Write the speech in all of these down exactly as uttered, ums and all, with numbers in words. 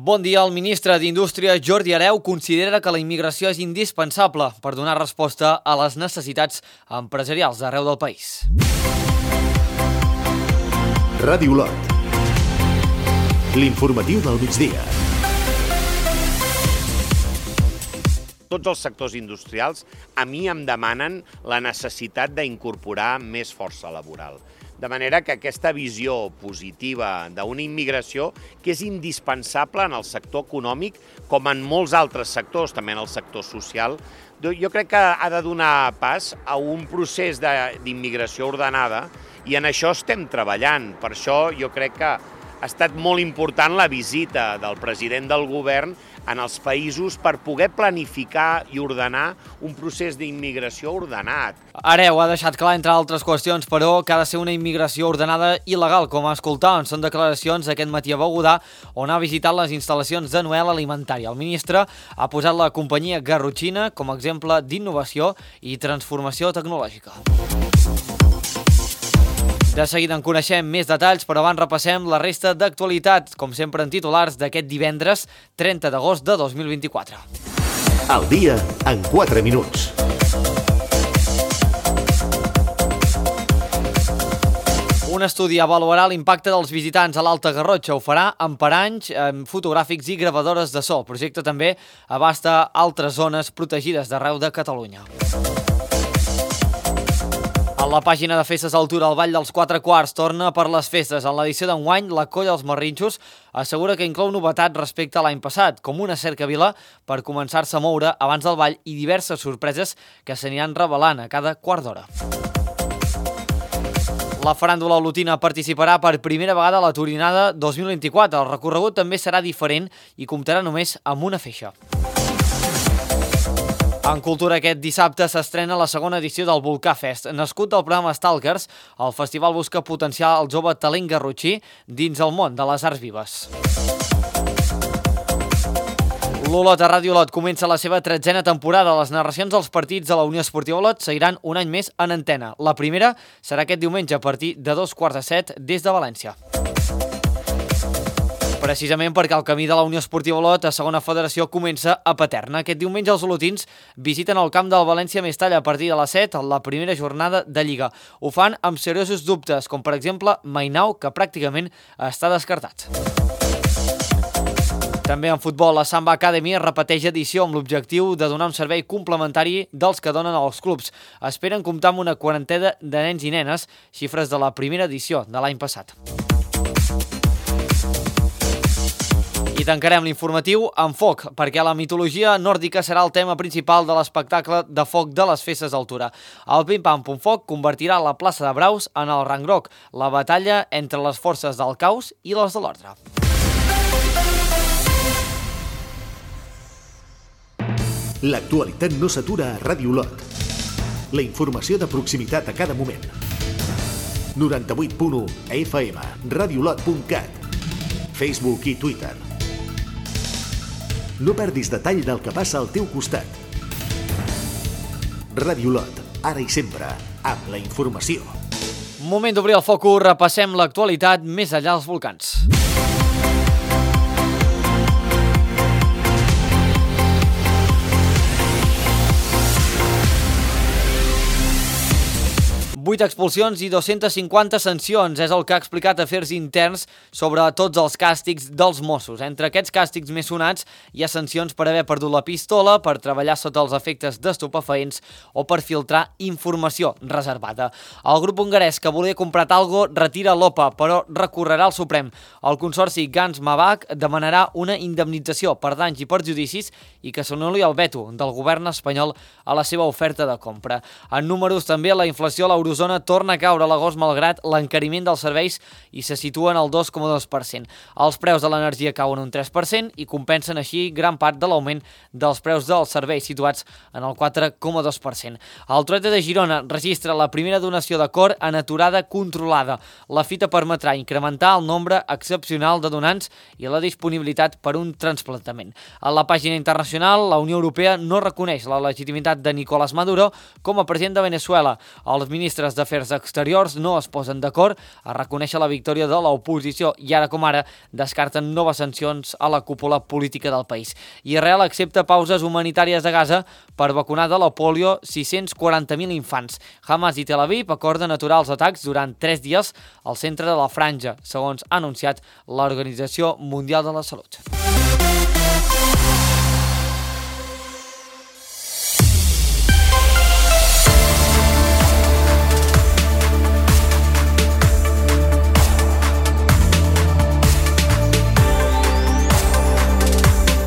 Bon dia. El ministre d'Indústria, Jordi Hereu, considera que la immigració és indispensable per donar resposta a les necessitats empresarials d'arreu del país. Ràdio Lot. L'informatiu del migdia. Tots els sectors industrials a mi em demanen la necessitat d'incorporar més força laboral. De manera que aquesta visió positiva d'una immigració que és indispensable en el sector econòmic com en molts altres sectors, també en el sector social, jo crec que ha de donar pas a un procés d'immigració ordenada i en això estem treballant. Per això jo crec que ha estat molt important la visita del president del govern en els països per poder planificar i ordenar un procés d'immigració ordenat. Hereu ha deixat clar, entre altres qüestions, però, que ha de ser una immigració ordenada i legal, com a escoltar, en són declaracions aquest matí a Begudà, on ha visitat les instal·lacions de Noel Alimentària. El ministre ha posat la companyia garrotxina com a exemple d'innovació i transformació tecnològica. De seguida en coneixem més detalls, però abans repassem la resta d'actualitats, com sempre en titulars d'aquest divendres trenta d'agost de dos mil vint-i-quatre. El dia en quatre minuts. Un estudi avaluarà l'impacte dels visitants a l'Alta Garrotxa. Ho farà amb paranys, amb fotogràfics i gravadores de so. El projecte també abasta altres zones protegides d'arreu de Catalunya. A la pàgina de Festes Altura, el Ball dels Quatre Quarts torna per les festes. En l'edició d'enguany, la Colla Els Marrinxos assegura que inclou novetat respecte a l'any passat, com una cercavila per començar-se a moure abans del ball i diverses sorpreses que s'aniran revelant a cada quart d'hora. La faràndula olotina participarà per primera vegada a la Turinada dos mil vint-i-quatre. El recorregut també serà diferent i comptarà només amb una feixa. En cultura, aquest dissabte s'estrena la segona edició del Volcà Fest. Nascut del programa Stalkers, el festival busca potenciar el jove talent garrotxí dins el món de les arts vives. L'Olot a Ràdio Lot comença la seva tretzena temporada. Les narracions dels partits de la Unió Esportiva Olot seguiran un any més en antena. La primera serà aquest diumenge a partir de dos quarts de set des de València. Precisament perquè el camí de la Unió Esportiva Olot a segona federació comença a Paterna. Aquest diumenge els olotins visiten el camp del València Mestalla a partir de les set, la primera jornada de Lliga. Ho fan amb seriosos dubtes, com per exemple Mainau, que pràcticament està descartat. També en futbol, la Samba Academy repeteix edició amb l'objectiu de donar un servei complementari dels que donen als clubs. Esperen comptar amb una quarantena de nens i nenes, xifres de la primera edició de l'any passat. I tancarem l'informatiu amb foc, perquè la mitologia nòrdica serà el tema principal de l'espectacle de foc de les Festes d'Altura. El Pim Pam Pum Foc convertirà la plaça de Braus en el Rangroc, la batalla entre les forces del caos i les de l'ordre. L'actualitat no s'atura a Ràdio Lot. La informació de proximitat a cada moment. noranta-vuit punt u F M, radiolot punt cat, Facebook i Twitter. No perdis detall del que passa al teu costat. Ràdio Lot, ara i sempre, amb la informació. Moment d'obrir el focus, repassem l'actualitat més enllà dels volcans. vuit expulsions i dos-centes cinquanta sancions és el que ha explicat Afers Interns sobre tots els càstigs dels Mossos. Entre aquests càstigs més sonats hi ha sancions per haver perdut la pistola, per treballar sota els efectes d'estupefaents o per filtrar informació reservada. El grup hongarès que volia comprar Talgo retira l'O P A, però recorrerà al Suprem. El consorci Gans-Mabach demanarà una indemnització per danys i perjudicis i que s'anul·li el veto del govern espanyol a la seva oferta de compra. En números també, la inflació a l'eurozona Zona torna a caure a l'agost malgrat l'encariment dels serveis i se situen al dos coma dos per cent. Els preus de l'energia cauen un tres per cent i compensen així gran part de l'augment dels preus dels serveis situats en el quatre coma dos per cent. El Trueta de Girona registra la primera donació de cor en aturada controlada. La fita permetrà incrementar el nombre excepcional de donants i la disponibilitat per un trasplantament. A la pàgina internacional, la Unió Europea no reconeix la legitimitat de Nicolás Maduro com a president de Venezuela. Els ministres d'Afers Exteriors no es posen d'acord a reconèixer la victòria de l'oposició i ara com ara descarten noves sancions a la cúpula política del país. Israel accepta pauses humanitàries a Gaza per vacunar de la pòlio sis-cents quaranta mil infants. Hamas i Tel Aviv acorden aturar els atacs durant tres dies al centre de la franja, segons ha anunciat l'Organització Mundial de la Salut.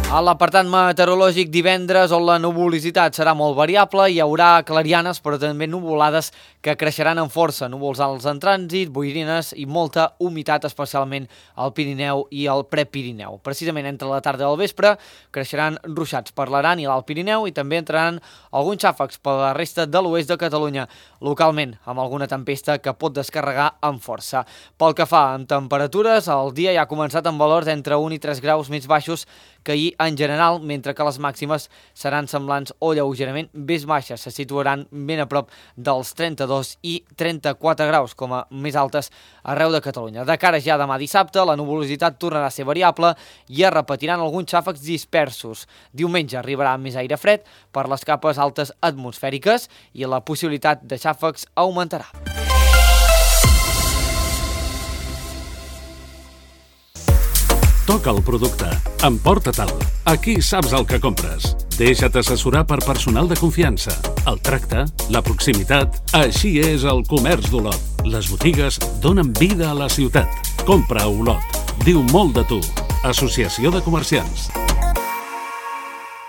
A l'apartat meteorològic divendres, on la nuvolositat serà molt variable, hi haurà clarianes però també nuvolades que creixeran amb força, núvols alts en trànsit, boirines i molta humitat, especialment al Pirineu i al Prepirineu. Precisament entre la tarda i el vespre creixeran ruixats per l'Aran i l'Alt Pirineu i també entraran alguns xàfecs per la resta de l'oest de Catalunya, localment amb alguna tempesta que pot descarregar amb força. Pel que fa en temperatures, el dia ja ha començat amb valors entre un i tres graus més baixos que ahir en general, mentre que les màximes seran semblants o lleugerament més baixes, se situaran ben a prop dels trenta-dos i trenta-quatre graus, com a més altes arreu de Catalunya. De cara ja demà dissabte, la nuvolositat tornarà a ser variable i es repetiran alguns xàfecs dispersos. Diumenge arribarà més aire fred per les capes altes atmosfèriques i la possibilitat de xàfecs augmentarà. Toca el producte. Emporta-te'l. Aquí saps el que compres. Deixa't assessorar per personal de confiança. El tracte, la proximitat... Així és el comerç d'Olot. Les botigues donen vida a la ciutat. Compra a Olot. Diu molt de tu. Associació de Comerciants.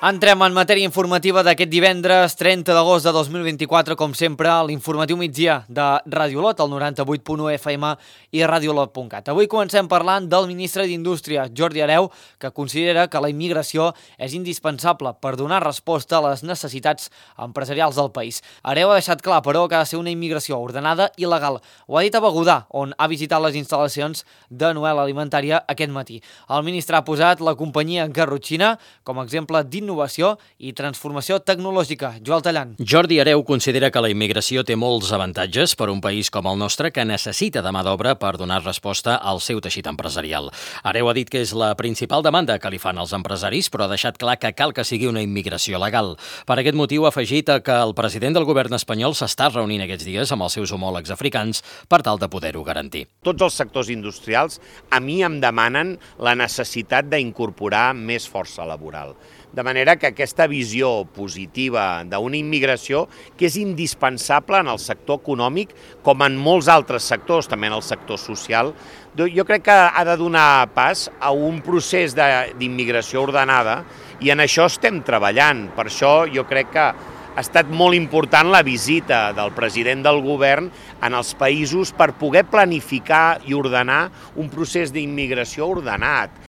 Entrem en matèria informativa d'aquest divendres trenta d'agost de dos mil vint-i-quatre, com sempre, a l'informatiu migdia de Ràdio Olot, el noranta-vuit punt u F M i radiolot punt cat. Avui comencem parlant del ministre d'Indústria, Jordi Hereu, que considera que la immigració és indispensable per donar resposta a les necessitats empresarials del país. Hereu ha deixat clar, però, que ha de ser una immigració ordenada i legal. Ho ha dit a Begudà, on ha visitat les instal·lacions de Noel Alimentària aquest matí. El ministre ha posat la companyia Garrotxina com a exemple d'innovació innovació i transformació tecnològica. Joel Tallant. Jordi Hereu considera que la immigració té molts avantatges per a un país com el nostre que necessita de mà d'obra per donar resposta al seu teixit empresarial. Hereu ha dit que és la principal demanda que li fan els empresaris, però ha deixat clar que cal que sigui una immigració legal. Per aquest motiu ha afegit que el president del govern espanyol s'està reunint aquests dies amb els seus homòlegs africans per tal de poder-ho garantir. Tots els sectors industrials a mi em demanen la necessitat d'incorporar més força laboral. De manera que aquesta visió positiva d'una immigració que és indispensable en el sector econòmic com en molts altres sectors, també en el sector social, jo crec que ha de donar pas a un procés d'immigració ordenada i en això estem treballant. Per això jo crec que ha estat molt important la visita del president del govern en els països per poder planificar i ordenar un procés d'immigració ordenat.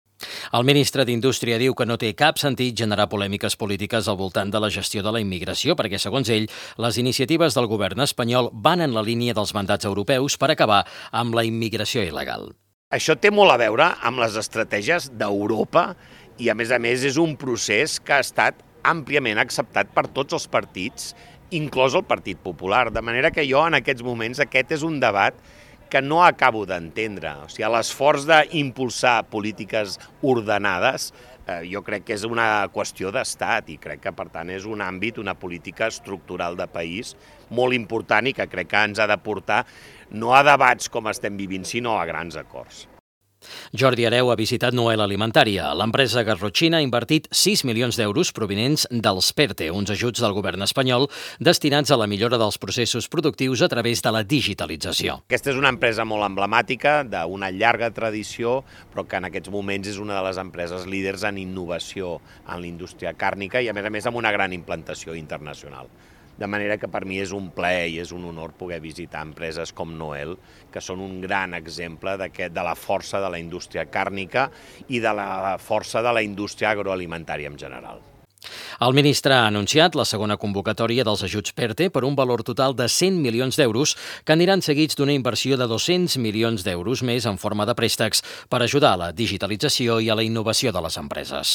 El ministre d'Indústria diu que no té cap sentit generar polèmiques polítiques al voltant de la gestió de la immigració perquè, segons ell, les iniciatives del govern espanyol van en la línia dels mandats europeus per acabar amb la immigració il·legal. Això té molt a veure amb les estratègies d'Europa i, a més a més, és un procés que ha estat àmpliament acceptat per tots els partits, inclòs el Partit Popular. De manera que jo, en aquests moments, aquest és un debat que no acabo d'entendre. O sigui, l'esforç d'impulsar polítiques ordenades eh, jo crec que és una qüestió d'estat i crec que, per tant, és un àmbit, una política estructural de país molt important i que crec que ens ha de portar no a debats com estem vivint, sinó a grans acords. Jordi Hereu ha visitat Noel Alimentària. L'empresa Garrotxina ha invertit sis milions d'euros provinents dels PERTE, uns ajuts del govern espanyol destinats a la millora dels processos productius a través de la digitalització. Aquesta és una empresa molt emblemàtica, d'una llarga tradició, però que en aquests moments és una de les empreses líders en innovació en la indústria càrnica i, a més a més, amb una gran implantació internacional. De manera que per mi és un plaer i és un honor poder visitar empreses com Noel, que són un gran exemple de la força de la indústria càrnica i de la força de la indústria agroalimentària en general. El ministre ha anunciat la segona convocatòria dels ajuts PERTE per un valor total de cent milions d'euros que aniran seguits d'una inversió de dos-cents milions d'euros més en forma de préstecs per ajudar a la digitalització i a la innovació de les empreses.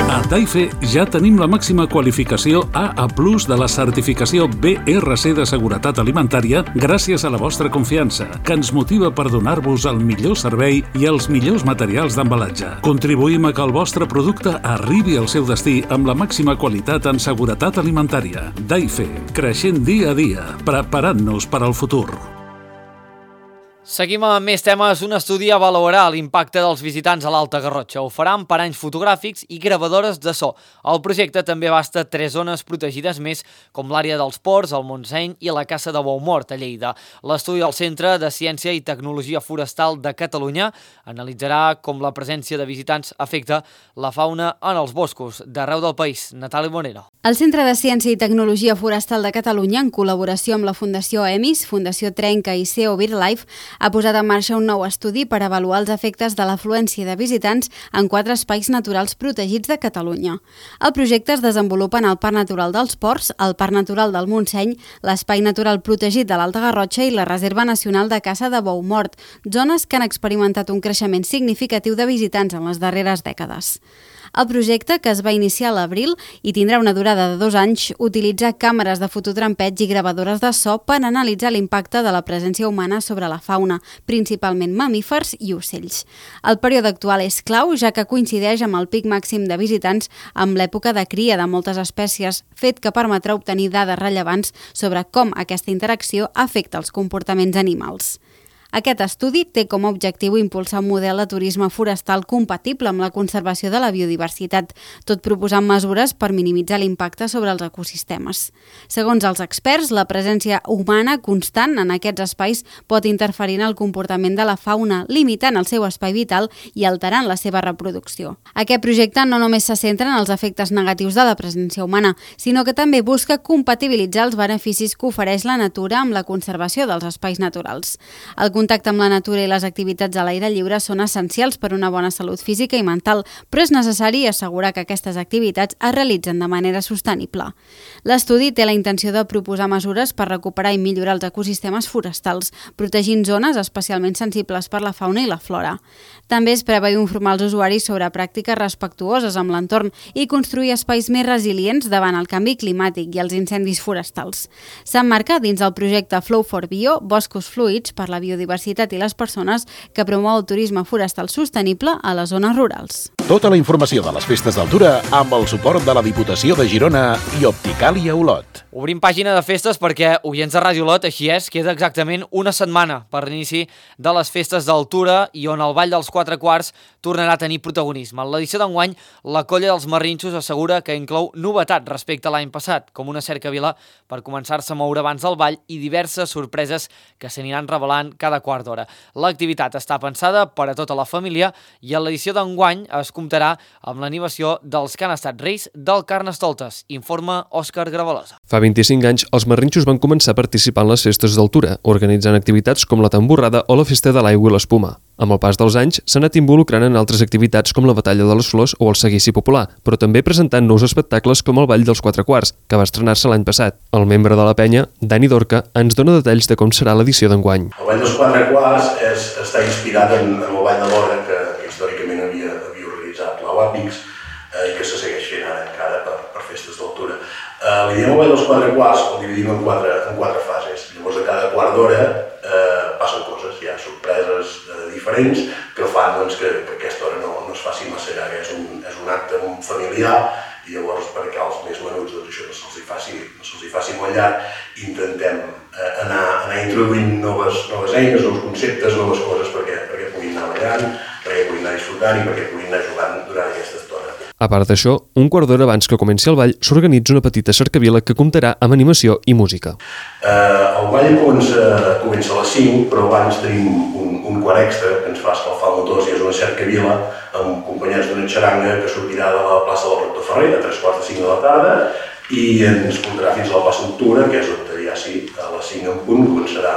A Taife ja tenim la màxima qualificació A A plus de la certificació B R C de seguretat alimentària gràcies a la vostra confiança, que ens motiva per donar-vos el millor servei i els millors materials d'embalatge. Contribuïm a que el vostre producte arribi al seu destí amb la màxima qualitat en seguretat alimentària. Taife, creixent dia a dia, preparant-nos per al futur. Seguim amb més temes. Un estudi avaluarà l'impacte dels visitants a l'Alta Garrotxa. Ho farà amb paranys fotogràfics i gravadores de so. El projecte també abasta tres zones protegides més, com l'àrea dels ports, el Montseny i la Caça de Boumort, a Lleida. L'estudi del Centre de Ciència i Tecnologia Forestal de Catalunya analitzarà com la presència de visitants afecta la fauna en els boscos d'arreu del país. Natàlia Monero. El Centre de Ciència i Tecnologia Forestal de Catalunya, en col·laboració amb la Fundació EMIS, Fundació Trenca i C E O BirdLife, ha posat en marxa un nou estudi per avaluar els efectes de l'afluència de visitants en quatre espais naturals protegits de Catalunya. El projecte es desenvolupa en el Parc Natural dels Ports, el Parc Natural del Montseny, l'Espai Natural Protegit de l'Alta Garrotxa i la Reserva Nacional de Caça de Boumort, zones que han experimentat un creixement significatiu de visitants en les darreres dècades. El projecte, que es va iniciar a l'abril i tindrà una durada de dos anys, utilitza càmeres de fototrampeig i gravadores de so per analitzar l'impacte de la presència humana sobre la fauna, principalment mamífers i ocells. El període actual és clau, ja que coincideix amb el pic màxim de visitants amb l'època de cria de moltes espècies, fet que permetrà obtenir dades rellevants sobre com aquesta interacció afecta els comportaments animals. Aquest estudi té com a objectiu impulsar un model de turisme forestal compatible amb la conservació de la biodiversitat, tot proposant mesures per minimitzar l'impacte sobre els ecosistemes. Segons els experts, la presència humana constant en aquests espais pot interferir en el comportament de la fauna, limitant el seu espai vital i alterant la seva reproducció. Aquest projecte no només se centra en els efectes negatius de la presència humana, sinó que també busca compatibilitzar els beneficis que ofereix la natura amb la conservació dels espais naturals. El contacte amb la natura i les activitats a l'aire lliure són essencials per una bona salut física i mental, però és necessari assegurar que aquestes activitats es realitzen de manera sostenible. L'estudi té la intenció de proposar mesures per recuperar i millorar els ecosistemes forestals, protegint zones especialment sensibles per la fauna i la flora. També es preveu informar els usuaris sobre pràctiques respectuoses amb l'entorn i construir espais més resilients davant el canvi climàtic i els incendis forestals. S'emmarca dins del projecte Flow for Bio, Boscos Fluids per la Biodiversitat i les Persones, que promou el turisme forestal sostenible a les zones rurals. Tota la informació de les festes d'Altura amb el suport de la Diputació de Girona i Opticàlia Olot. Obrim pàgina de festes perquè, oients de Ràdio Olot, així és, queda exactament una setmana per l'inici de les festes d'Altura i on el Ball dels Quatre Quarts tornarà a tenir protagonisme. En l'edició d'enguany, la Colla dels Marrinxos assegura que inclou novetat respecte a l'any passat, com una cercavila per començar-se a moure abans del ball i diverses sorpreses que s'aniran revelant cada quart d'hora. L'activitat està pensada per a tota la família i en l'edició d'enguany es comptarà amb l'animació dels que han estat reis del Carnestoltes, informa Òscar Gravalosa. Fa vint-i-cinc anys, els marrinxos van començar a participar en les festes d'Altura, organitzant activitats com la tamborrada o la festa de l'aigua i l'espuma. Amb el pas dels anys, s'ha anat involucrant en altres activitats com la Batalla de les Flors o el Seguici Popular, però també presentant nous espectacles com el Ball dels Quatre Quarts, que va estrenar-se l'any passat. El membre de la penya, Dani Dorca, ens dona detalls de com serà l'edició d'enguany. El Ball dels Quatre Quarts és, està inspirat en, en el Ball de l'Hora, que, que històricament havia, havia organitzat la UAPIX eh, i que se segueix fent ara encara per, per festes d'Altura. Eh, li diem el Ball dels Quatre Quarts, el dividim en quatre, en quatre fases. Llavors, a cada quart d'hora eh, passen coses, hi ha sorpreses eh, diferents que fan doncs, que, que aquesta hora no, no es faci massa llarga. És un, és un acte familiar i llavors perquè als més menuts doncs, això no se'ls faci, no se'ls faci molt llarg, intentem eh, anar, anar introduint noves, noves eines, nous conceptes, noves coses perquè, perquè puguin anar ballant, perquè puguin anar disfrutant i perquè puguin anar jugant durant aquesta estona. A part d'això, un quart d'hora abans que comenci el ball, s'organitza una petita cercavila que comptarà amb animació i música. Eh, el ball comença, comença a les cinc, però abans tenim un, un quart extra que ens fa escalfar motors i és una cercavila acompanyats d'una xaranga que sortirà de la plaça del Rector Ferrer a tres quarts de cinc de la tarda i ens portarà fins a la plaça d'Octubre, que és on ja sí, a les cinc en punt començarà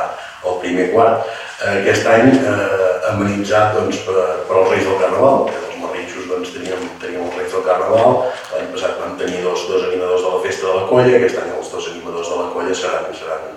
el primer quart. Aquest any eh, amenitzat doncs, per, per als Reis del Carnaval, que els marrinxos doncs, teníem, teníem el Reis del Carnaval, l'any passat vam tenir dos, dos animadors de la Festa de la Colla, aquest any els dos animadors de la Colla seran, seran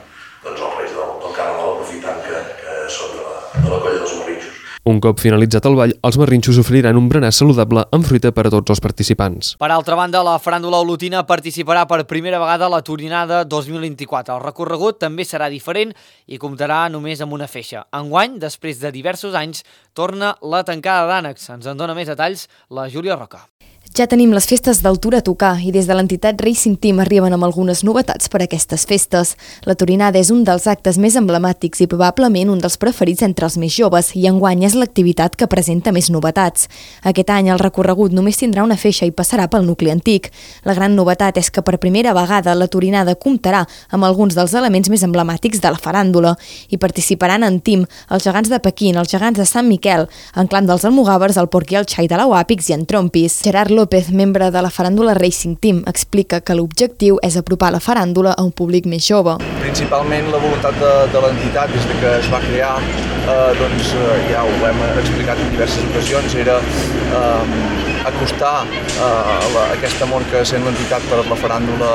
doncs, els Reis del, del Carnaval, aprofitant que, que són de la, de la Colla dels Marrinxos. Un cop finalitzat el ball, els marrinxos oferiran un berenar saludable amb fruita per a tots els participants. Per altra banda, la faràndula olotina participarà per primera vegada a la Torinada dos mil vint-i-quatre. El recorregut també serà diferent i comptarà només amb una feixa. Enguany, després de diversos anys, torna la tancada d'ànecs. Ens en dona més detalls la Júlia Roca. Ja tenim les festes d'altura a tocar i des de l'entitat Racing Team arriben amb algunes novetats per a aquestes festes. La Torinada és un dels actes més emblemàtics i probablement un dels preferits entre els més joves i enguany és l'activitat que presenta més novetats. Aquest any el recorregut només tindrà una feixa i passarà pel nucli antic. La gran novetat és que per primera vegada la Torinada comptarà amb alguns dels elements més emblemàtics de la faràndula i participaran en team els gegants de Pequín, els gegants de Sant Miquel, en clan dels Almogàvers, el Porquí, el Xai de l'Auàpix i en Trompis. Gerard López, membre de la faràndula Racing Team, explica que l'objectiu és apropar la faràndula a un públic més jove. Principalment la voluntat de, de l'entitat des de que es va crear, eh, doncs eh, ja ho hem explicat en diverses ocasions, era eh, acostar eh, la, aquest amor que sent l'entitat per la faràndula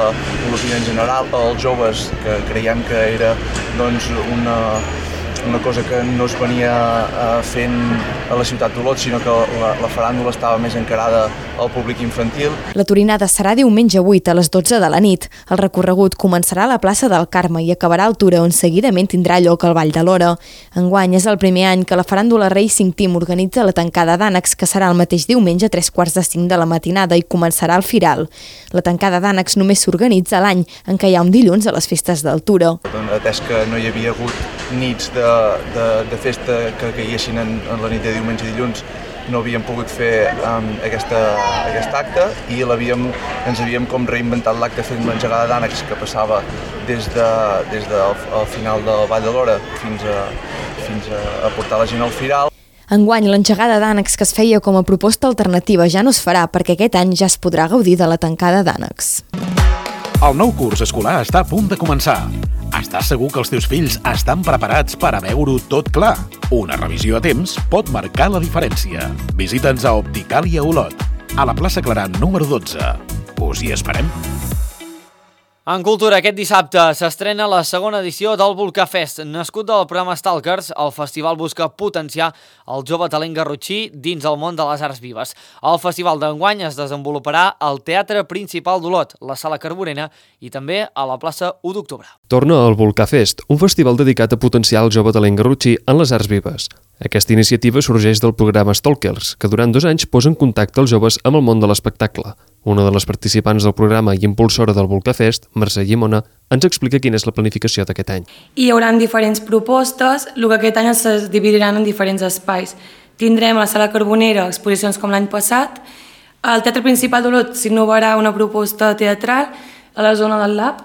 olotina en general als joves, que creiem que era doncs, una una cosa que no es venia eh, fent a la ciutat d'Olot, sinó que la, la faràndula estava més encarada al públic infantil. La Torinada serà diumenge vuit a les dotze de la nit. El recorregut començarà a la plaça del Carme i acabarà al Tura, on seguidament tindrà lloc el Ball de l'Hora. Enguany és el primer any que la faràndula Racing Team organitza la tancada d'ànecs, que serà el mateix diumenge a tres quarts de cinc de la matinada i començarà al Firal. La tancada d'ànecs només s'organitza l'any en què hi ha un dilluns a les festes del Tura. Atès que no hi havia hagut nits de, de, de festa que caiguessin en, en la nit de diumenge i dilluns, no havíem pogut fer um, aquesta, aquest acte i l'havíem, ens havíem com reinventat l'acte fent l'engegada d'ànecs que passava des, de, des del de, final del Ball de l'Hora fins, a, fins a, a portar la gent al Firal. Enguany, l'engegada d'ànecs que es feia com a proposta alternativa ja no es farà perquè aquest any ja es podrà gaudir de la tancada d'ànecs. El nou curs escolar està a punt de començar. Estàs segur que els teus fills estan preparats per a veure-ho tot clar? Una revisió a temps pot marcar la diferència. Visita'ns a Opticàlia Olot, a la plaça Clarà número dotze. Us hi esperem. En cultura, aquest dissabte s'estrena la segona edició del Volcà Fest. Nascut del programa Stalkers, el festival busca potenciar el jove talent garrotxí dins el món de les arts vives. El festival d'enguany es desenvoluparà al Teatre Principal d'Olot, la Sala Carborena i també a la plaça u d'octubre. Torna al Volcà Fest, un festival dedicat a potenciar el jove talent garrotxí en les arts vives. Aquesta iniciativa sorgeix del programa Stalkers, que durant dos anys posa en contacte els joves amb el món de l'espectacle. Una de les participants del programa i impulsora del Volcà Fest, Mercè Llimona, ens explica quina és la planificació d'aquest any. Hi haurà diferents propostes, el que aquest any es dividiran en diferents espais. Tindrem a la Sala Carbonera exposicions com l'any passat, al Teatre Principal d'Olot s'innovarà una proposta teatral a la zona del Lab,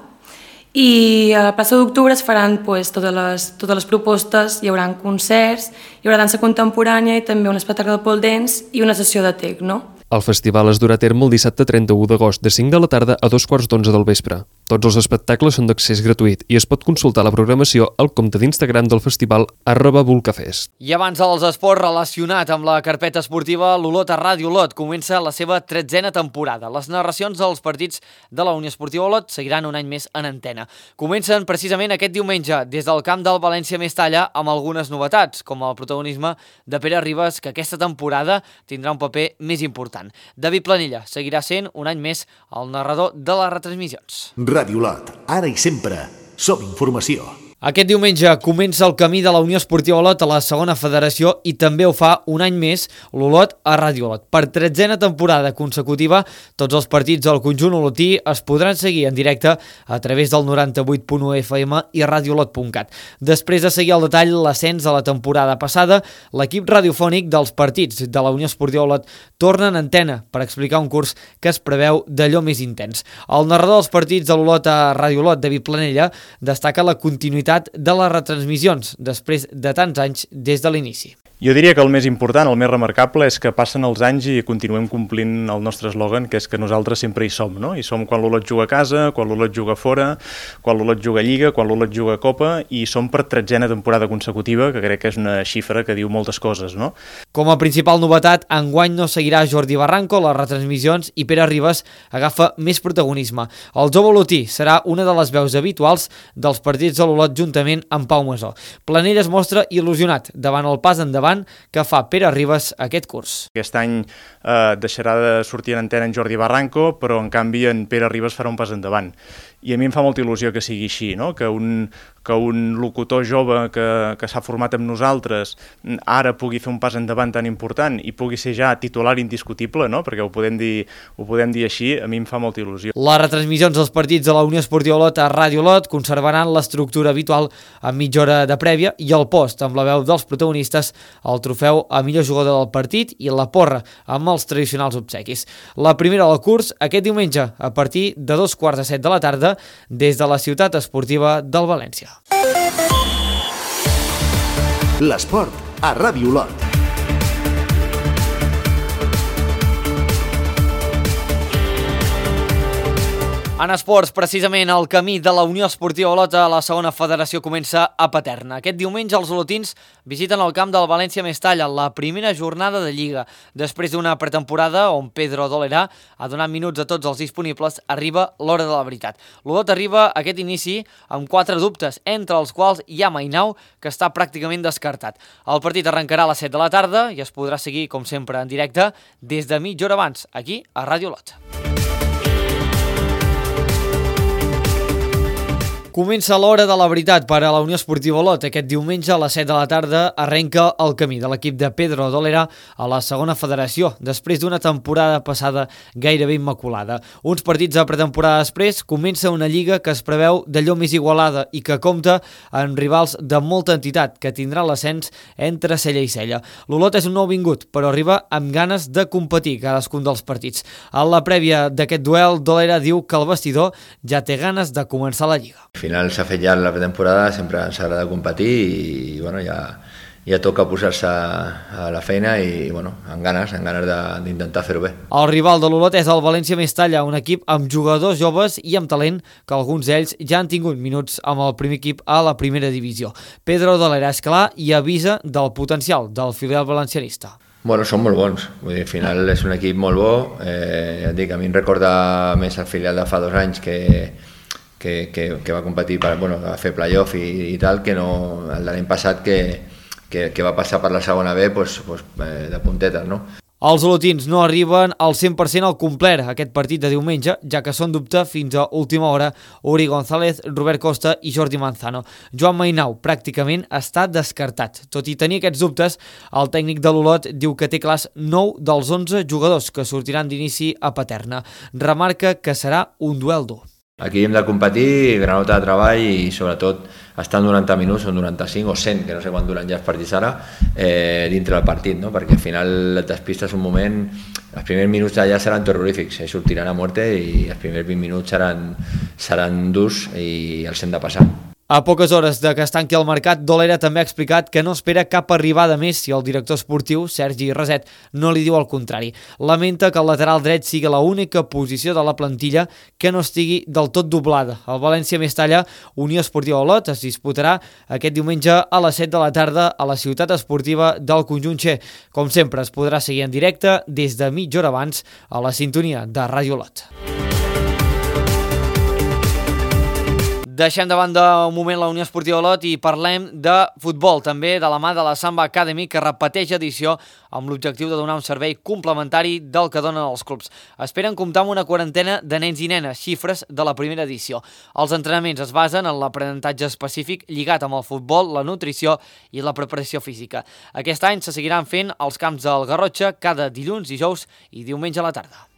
i a la plaça d'Octubre es faran pues, totes, les, totes les propostes, hi haurà concerts, hi haurà dansa contemporània i també un espectacle de pole dance i una sessió de tecno. El festival es durà a terme el dissabte trenta-u d'agost de cinc de la tarda a dos quarts d'onze del vespre. Tots els espectacles són d'accés gratuït i es pot consultar la programació al compte d'Instagram del festival arroba volcafest. I abans dels esports relacionat amb la carpeta esportiva, l'Olot a Ràdio Olot comença la seva tretzena temporada. Les narracions dels partits de la Unió Esportiva Olot seguiran un any més en antena. Comencen precisament aquest diumenge des del camp del València Mestalla amb algunes novetats, com el protagonisme de Pere Ribas, que aquesta temporada tindrà un paper més important. David Planella seguirà sent un any més el narrador de les retransmissions. Ràdio Olot, ara i sempre, som informació. Aquest diumenge comença el camí de la Unió Esportiva Olot a la segona federació i també ho fa un any més l'Olot a Ràdio Olot. Per tretzena temporada consecutiva, tots els partits del conjunt olotí es podran seguir en directe a través del noranta-vuit punt u F M i radiolot punt cat. Després de seguir al detall l'ascens de la temporada passada, l'equip radiofònic dels partits de la Unió Esportiva Olot torna en antena per explicar un curs que es preveu d'allò més intens. El narrador dels partits de l'Olot a Ràdio Olot, David Planella, destaca la continuïtat de les retransmissions després de tants anys des de l'inici. Jo diria que el més important, el més remarcable, és que passen els anys i continuem complint el nostre eslògan, que és que nosaltres sempre hi som, no? Hi som quan l'Olot juga a casa, quan l'Olot juga fora, quan l'Olot juga a Lliga, quan l'Olot juga a Copa, i som per tretzena temporada consecutiva, que crec que és una xifra que diu moltes coses, no? Com a principal novetat, enguany no seguirà Jordi Barranco les retransmissions i Pere Ribas agafa més protagonisme. El jove olotí serà una de les veus habituals dels partits de l'Olot juntament amb Pau Masó. Planell es mostra il·lusionat davant el pas endavant que fa Pere Ribas aquest curs. Aquest any eh, deixarà de sortir en antena en Jordi Barranco, però en canvi en Pere Ribas farà un pas endavant. I a mi em fa molta il·lusió que sigui així, no? que, un, que un locutor jove que, que s'ha format amb nosaltres ara pugui fer un pas endavant tan important i pugui ser ja titular indiscutible, no? perquè ho podem, dir, ho podem dir així, a mi em fa molta il·lusió. Les retransmissions dels partits de la Unió Esportiva Olot a Ràdio Olot conservaran l'estructura habitual amb mitja hora de prèvia i el post amb la veu dels protagonistes, el trofeu a millor jugador del partit i la porra amb els tradicionals obsequis. La primera del curs aquest diumenge a partir de dos quarts de set de la tarda des de la ciutat esportiva del València. L'esport a Ràdio Olot. En esports, precisament, el camí de la Unió Esportiva Olot a la segona federació comença a Paterna. Aquest diumenge els olotins visiten el camp del València Mestalla, la primera jornada de Lliga. Després d'una pretemporada on Pedro Dolera ha donat minuts a tots els disponibles, arriba l'hora de la veritat. L'Olot arriba a aquest inici amb quatre dubtes, entre els quals hi ha Mainau, que està pràcticament descartat. El partit arrencarà a les set de la tarda i es podrà seguir, com sempre, en directe des de mitja hora abans, aquí a Ràdio Olot. Comença l'hora de la veritat per a la Unió Esportiva Olot. Aquest diumenge a les set de la tarda arrenca el camí de l'equip de Pedro Dolera a la segona federació, després d'una temporada passada gairebé immaculada. Uns partits de pretemporada després comença una lliga que es preveu d'allò més igualada i que compta amb rivals de molta entitat, que tindrà l'ascens entre cella i cella. L'Olot és un nou vingut, però arriba amb ganes de competir cadascun dels partits. A la prèvia d'aquest duel, Dolera diu que el vestidor ja té ganes de començar la lliga. Al final s'ha fet ja la pretemporada, sempre ens agrada competir i bueno, ja, ja toca posar-se a la feina i bueno, amb ganes, amb ganes d'intentar fer-ho bé. El rival de l'Olot és el València Mestalla, un equip amb jugadors joves i amb talent que alguns d'ells ja han tingut minuts amb el primer equip a la primera divisió. Pedro Dolera és clar i avisa del potencial del filial valencianista. Bueno, són molt bons, vull dir, al final és un equip molt bo, eh, ja et dic, a mi em recorda més el filial de fa dos anys que Que, que, que va competir per bueno, a fer playoff i, i tal, que no el de l'any passat que, que, que va passar per la segona B pues, pues, eh, de puntetes, no? Els olotins no arriben al cent per cent al complet aquest partit de diumenge, ja que són dubte fins a última hora Uri González, Robert Costa i Jordi Manzano. Joan Mainau pràcticament està descartat. Tot i tenir aquests dubtes, el tècnic de l'Olot diu que té clars nou dels onze jugadors que sortiran d'inici a Paterna. Remarca que serà un duel dur. Aquí hem de competir, granota de treball i sobretot estar noranta minuts o noranta-cinc o cent, que no sé quan duren ja els partits ara, eh, dintre del partit, no? Perquè al final et despistes un moment, els primers minuts allà seran terrorífics, eh, sortiran a muerte i els primers vint minuts seran, seran durs i els hem de passar. A poques hores de que es tanqui el mercat, Dolera també ha explicat que no espera cap arribada més si el director esportiu, Sergi Reset, no li diu el contrari. Lamenta que el lateral dret sigui l'única posició de la plantilla que no estigui del tot doblada. El València Mestalla, Unió Esportiva Olot, es disputarà aquest diumenge a les set de la tarda a la ciutat esportiva del Conjunt Xe. Com sempre, es podrà seguir en directe des de mitja hora abans a la sintonia de Ràdio Olot. Deixem de banda un moment la Unió Esportiva Olot i parlem de futbol, també de la mà de la Samba Academy, que repeteix edició amb l'objectiu de donar un servei complementari del que donen els clubs. Esperen comptar amb una quarantena de nens i nenes, xifres de la primera edició. Els entrenaments es basen en l'aprenentatge específic lligat amb el futbol, la nutrició i la preparació física. Aquest any se seguiran fent als camps del Garrotxa cada dilluns, dijous i diumenge a la tarda.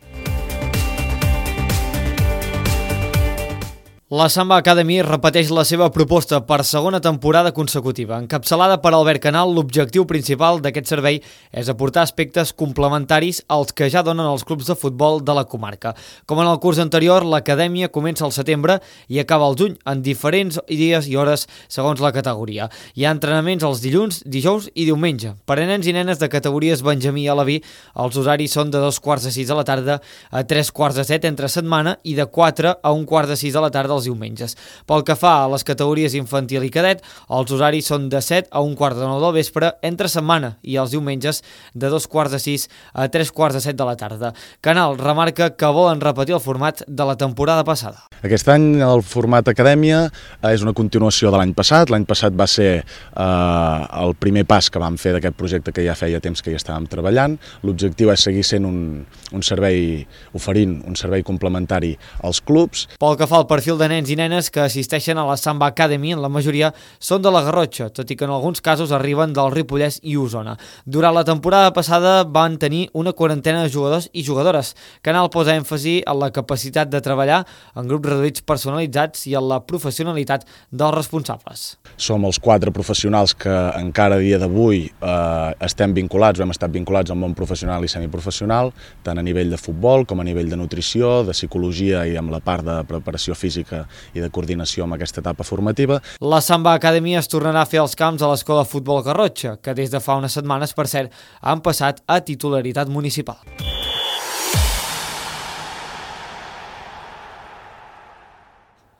La Samba Academy repeteix la seva proposta per segona temporada consecutiva. Encapçalada per Albert Canal, l'objectiu principal d'aquest servei és aportar aspectes complementaris als que ja donen els clubs de futbol de la comarca. Com en el curs anterior, l'acadèmia comença al setembre i acaba al juny, en diferents dies i hores segons la categoria. Hi ha entrenaments els dilluns, dijous i diumenge. Per a nens i nenes de categories Benjamí i Alaví, els horaris són de dos quarts de sis de la tarda a tres quarts de set entre setmana i de quatre a un quart de sis de la tarda els diumenges. Pel que fa a les categories infantil i cadet, els horaris són de set a un quart de nou del vespre entre setmana i els diumenges de dos quarts de sis a tres quarts de set de la tarda. Canal remarca que volen repetir el format de la temporada passada. Aquest any el format acadèmia és una continuació de l'any passat. L'any passat va ser eh, el primer pas que vam fer d'aquest projecte que ja feia temps que hi estàvem treballant. L'objectiu és seguir sent un, un servei, oferint un servei complementari als clubs. Pel que fa al perfil de nens i nenes que assisteixen a la Samba Academy, en la majoria són de la Garrotxa, tot i que en alguns casos arriben del Ripollès i Osona. Durant la temporada passada van tenir una quarantena de jugadors i jugadores. Canal posa èmfasi en la capacitat de treballar en grups reduïts personalitzats i en la professionalitat dels responsables. Som els quatre professionals que encara a dia d'avui eh, estem vinculats, o hem estat vinculats al món professional i semiprofessional, tant a nivell de futbol com a nivell de nutrició, de psicologia i amb la part de preparació física i de coordinació amb aquesta etapa formativa. La Samba Academy es tornarà a fer els camps a l'Escola Futbol Garrotxa, que des de fa unes setmanes, per cert, han passat a titularitat municipal.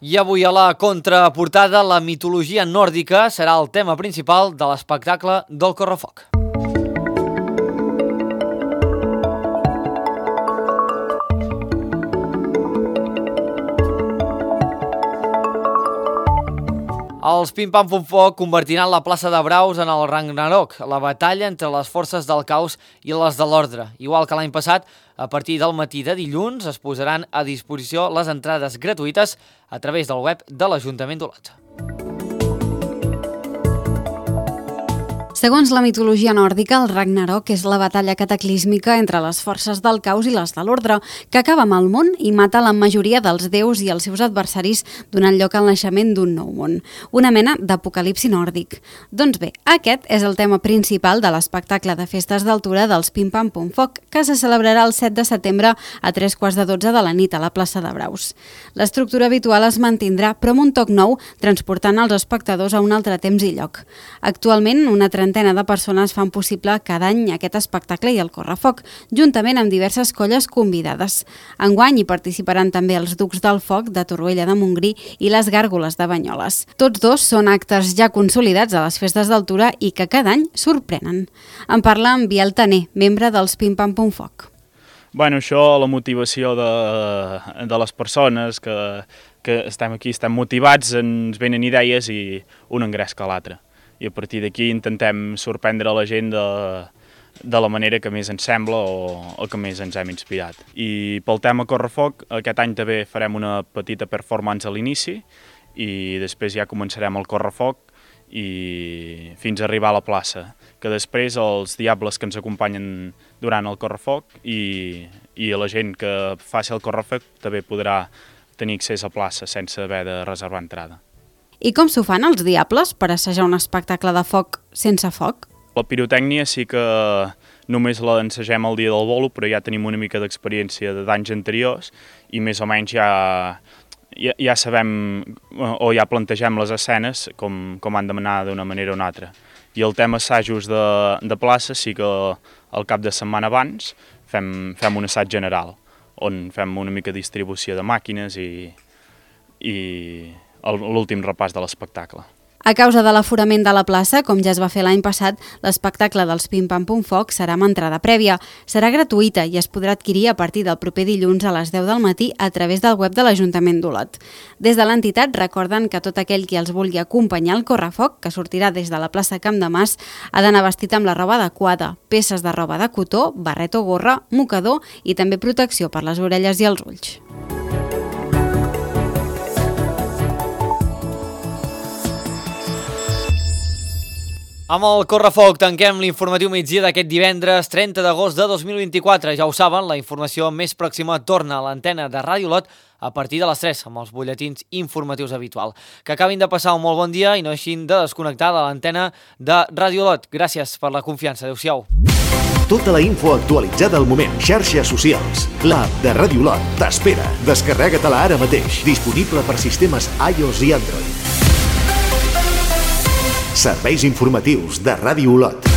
I avui a la contraportada, la mitologia nòrdica serà el tema principal de l'espectacle del Correfoc. Els Pim Pam Pum Foc convertiran la plaça de Braus en el Ragnarok, la batalla entre les forces del caos i les de l'ordre. Igual que l'any passat, a partir del matí de dilluns es posaran a disposició les entrades gratuïtes a través del web de l'Ajuntament d'Olot. Segons la mitologia nòrdica, el Ragnarok és la batalla cataclísmica entre les forces del caos i les de l'ordre, que acaba amb el món i mata la majoria dels déus i els seus adversaris, donant lloc al naixement d'un nou món. Una mena d'apocalipsi nòrdic. Doncs bé, aquest és el tema principal de l'espectacle de festes d'altura dels Pim Pam Pum Foc, que se celebrarà el set de setembre a tres quarts de dotze de la nit a la plaça de Braus. L'estructura habitual es mantindrà, però amb un toc nou, transportant els espectadors a un altre temps i lloc. Actualment, una trentena de persones fan possible cada any aquest espectacle i el Correfoc, juntament amb diverses colles convidades. Enguany hi participaran també els Ducs del Foc de Torroella de Montgrí i les Gàrgoles de Banyoles. Tots dos són actes ja consolidats a les festes d'altura i que cada any sorprenen. En parla en Biel Taner, membre dels Pim Pam Pum Foc. Bueno, això, la motivació de, de les persones que, que estem aquí, estem motivats, ens venen idees i un engresca l'altre. I a partir d'aquí intentem sorprendre la gent de, de la manera que més ens sembla o el que més ens hem inspirat. I pel tema Correfoc, aquest any també farem una petita performance a l'inici i després ja començarem el Correfoc i fins a arribar a la plaça, que després els diables que ens acompanyen durant el Correfoc i, i la gent que faci el Correfoc també podrà tenir accés a plaça sense haver de reservar entrada. I com s'ho fan els diables per assajar un espectacle de foc sense foc? La pirotècnia sí que només la ensagem el dia del bolo, però ja tenim una mica d'experiència d'anys anteriors i més o menys ja, ja, ja sabem o ja plantegem les escenes com, com han d'anar d'una manera o una altra. I el tema assajos de, de plaça sí que al cap de setmana abans fem, fem un assaig general, on fem una mica de distribució de màquines i... i l'últim repàs de l'espectacle. A causa de l'aforament de la plaça, com ja es va fer l'any passat, l'espectacle dels Pim Pam Pum Foc serà amb entrada prèvia. Serà gratuïta i es podrà adquirir a partir del proper dilluns a les deu del matí a través del web de l'Ajuntament d'Olot. Des de l'entitat recorden que tot aquell qui els vulgui acompanyar al Correfoc, que sortirà des de la plaça Camp de Mas, ha d'anar vestit amb la roba adequada, peces de roba de cotó, barret o gorra, mocador i també protecció per les orelles i els ulls. Amb el Correfoc tanquem l'informatiu migdia d'aquest divendres trenta d'agost de dos mil vint-i-quatre. Ja ho saben, la informació més pròxima torna a l'antena de Ràdio Olot a partir de les tres, amb els butlletins informatius habitual. Que acabin de passar un molt bon dia i no deixin de desconnectar de l'antena de Ràdio Olot. Gràcies per la confiança. Adéu-siau. Tota la info actualitzada al moment. Xarxes socials. L'app de Ràdio Olot t'espera. Descarrega-te-la ara mateix. Disponible per sistemes iOS i Android. Serveis informatius de Ràdio Olot.